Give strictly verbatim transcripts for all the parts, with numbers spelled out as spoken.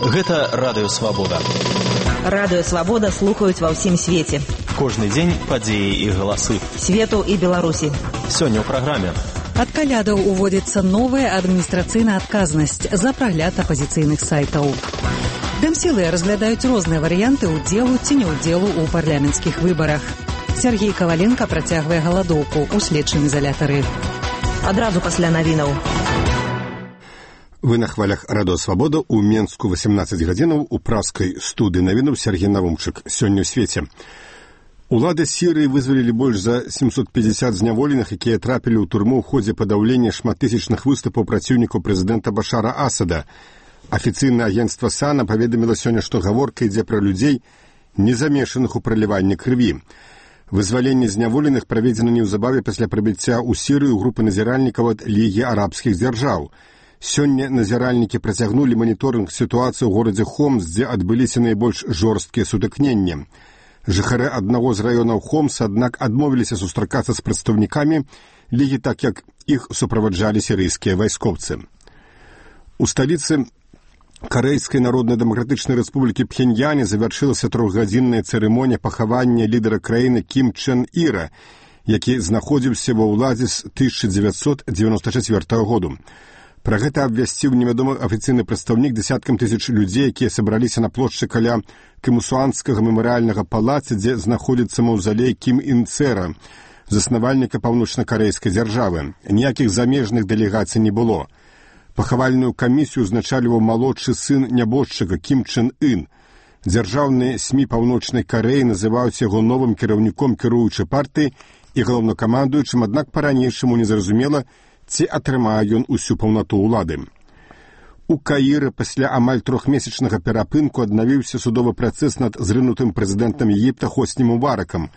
Гэта Радыё Свабода. Радыё Свабода слухаюць ва ўсім свеце. Кожны дзень падзеі і галасы. Свету і Беларусі. Сёння ў праграме. Ад калядаў уводзіцца новая адміністрацыйная адказнасць за прагляд апазіцыйных сайтаў. Дэмсілы разглядаюць розныя варыянты ўдзелу ці неўдзелу ў парламенцкіх выбарах. Сергей Каваленка працягвае галадоўку ў следчым изалятары. Адразу пасля навінаў. Вы на хвалях Радыё Свабода ў Менску васемнаццаць гадзінаў у праскай студыі навінаў Сергей Навумчык. Сёння ў свеце. Улады Сірыі вызвалілі больш за семьсот пятьдесят зняволеных, якія трапілі ў турму ў ходзе падаўлення шматтысячных выступаў праціўнікаў прэзідэнта Башара Асада. Афіцыйнае агенцтва САНА паведаміла сёння, што гаворка ідзе пра людзей, не замешаных у праліванні крыві. Вызваленне зняволеных праведзена неўзабаве пасля прыбыцця ў Сірыю групы назіральнікаў ад Лігі арабскіх дзяржаў. Сёння назіральнікі працягнулі маніторынг сітуацыі ў горадзе Хомс, дзе адбыліся найбольш жорсткія сутыкненні. Жыхары аднаго з раёнаў Хомс, аднак, адмовіліся сустракацца з прадстаўнікамі Лігі, так як іх суправаджалі сірыйскія вайскоўцы. У сталіцы Карэйскай Народна-Дэмакратычнай Рэспублікі Пхеньяне завяршылася трохгадзінная цырымонія пахавання лідара краіны Кім Чен Іра, які знаходзіўся ва ўладзе з тысяча дзевяцьсот дзевяноста чацвёртага году. Пра гэта абвясціў невядомы афіцыйны прадстаўнік дзесяткам тысяч людзей, якія сабраліся на плошчы каля Кімусуанскага мемарыяльнага палаца, дзе знаходзіцца маўзалей Кім Ін Цэра, заснавальніка паўночна-карэйскай дзяржавы. Ніякіх замежных дэлегацый не было. Пахавальную камісію узначальваў малодшы сын нябожчыка Кім Чен Ын. Дзяржаўныя СМІ паўночнай Карэі называюць яго новым кіраўніком кіруючай партыі і галоўнакамандуючым, аднак па-ранейшаму незразумела, ці атрымае ён усю паўнату ўлады. У Каіры пасля амаль трохмесячнага перапынку аднавіўся судовы працэс над зрынутым прэзідэнтам Егіпта Хосні Мубаракам.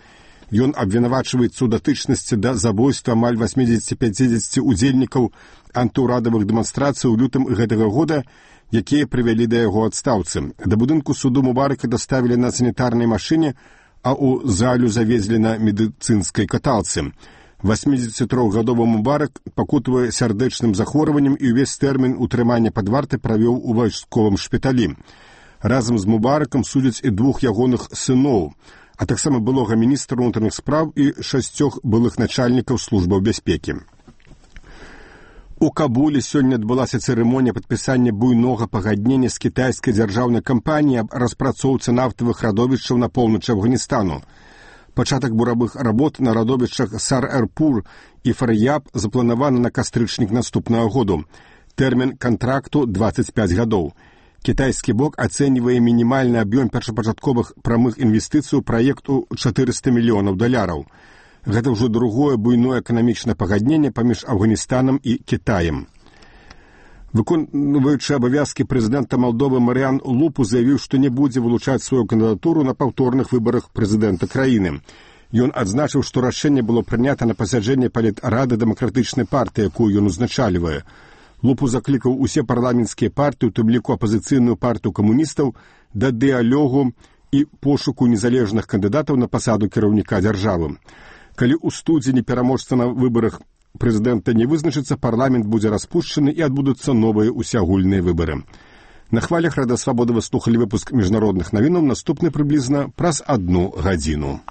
Ён абвінавачваецца ў датычнасці да забойства амаль восьмідзесяці-пяцідзесяці удзельнікаў антыўрадавых дэманстрацый у лютым гэтага года, якія прывялі да яго адстаўцы. Да будынку суду Мубарака даставілі на санітарнай машыне, а ў залю завезлі на медыцынскай каталцы. восьмідзесяцітрохгадовы Мубарак пакутвае сардэчным захворваннем і ўвесь тэрмін утрымання пад вартай правёў у вайсковым шпіталі. Разам з Мубаракам судзяць і двух ягоных сыноў, а таксама былога міністра ўнутраных спраў і шасцёх былых начальнікаў службаў бяспекі. У Кабуле сёння адбылася цырымонія падпісання буйнога пагаднення з кітайскай дзяржаўнай кампаніяй аб распрацоўцы нафтавых радовішчаў на поўначы Афганістану. Пачатак буравых работ на радовішчах Сар-Эрпур і Фар'яб запланаваны на кастрычнік наступнага году. Тэрмін кантракту дваццаць пяць гадоў. Кітайскі бок ацэньвае мінімальны аб'ём першапачатковых прамых інвестыцый у праект у чатырыста мільёнаў даляраў. Гэта ўжо другое буйное эканамічнае пагадненне паміж Афганістанам і Кітаем. Выконваючы абавязкі прэзідэнта Малдовы Марыян Лупу заявіў, што не будзе вылучаць сваю кандыдатуру на паўторных выбарах прэзідэнта краіны. Ён адзначыў, што рашэнне было прынята на пасяджэнні палітрады дэмакратычнай партыі, якую ён узначальвае. Лупу заклікаў усе парламенцкія партыі, у тым ліку апазіцыйную партыю камуністаў, да дыялогу і пошуку незалежных кандыдатаў на пасаду кіраўніка дзяржавы. Калі ў студзені пераможца на выбарах прэзідэнта не вызначыцца, парламент будзе распушчаны і адбудуцца новыя усеагульныя выбары. На хвалях Радыё Свабода вы слухалі выпуск міжнародных навінаў, наступны прыблізна праз адну гадзіну.